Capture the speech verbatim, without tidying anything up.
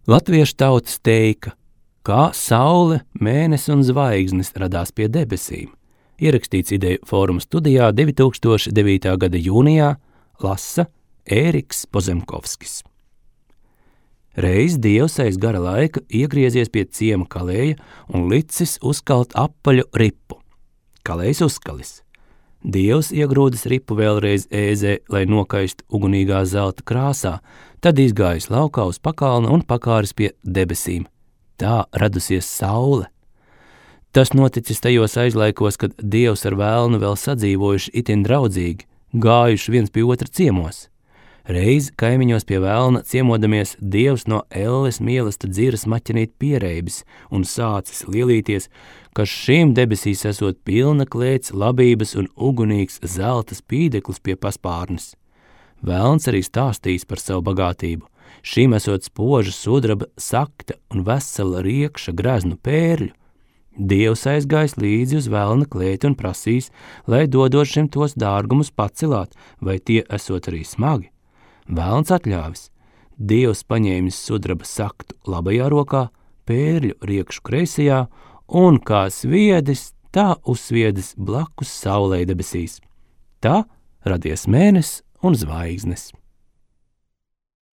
Latviešu tautas teika, kā saule, mēnesis un zvaigznes radās pie debesīm. Ierakstīts Ideju fóruma studijā divi tūkstoši devītā gada jūnijā, lasa Ēriks Pozemkovskis. Reiz Dievs aiz gara laika iegriezies pie ciema kalēja un licis uzkalt apaļu ripu. Kalējs uzkalis. Dievs iegrūdis ripu vēlreiz ēzē, lai nokaistu ugunīgā zelta krāsā, tad izgājis laukā uz pakalna un pakāris pie debesīm. Tā radusies saule. Tas noticis tajos aizlaikos, kad Dievs ar vēlnu vēl sadzīvojuši itin draudzīgi, gājuši viens pie otra ciemos. Reiz kaimiņos pie vēlna ciemodamies Dievs no elles mīlesta dziras maķenīt piereibis un sācis lielīties, ka šīm debesīs esot pilna klēts labības un ugunīgs zelta spīdeklis pie paspārnes. Vēlns arī stāstīs par savu bagātību. Šīm esot spoža sudraba sakta un vesela riekša greznu pērļu. Dievs aizgājis līdzi uz vēlna klēti un prasīs, lai dodot šim tos dārgumus pacelāt, vai tie esot arī smagi. Vēlns atļāvis. Dievs paņēmis sudraba saktu labajā rokā, pērļu riekšu kreisajā, un kā sviedis, tā uzsviedis blakus saulei debesīs. Tā radies mēnesis un zvaigznes.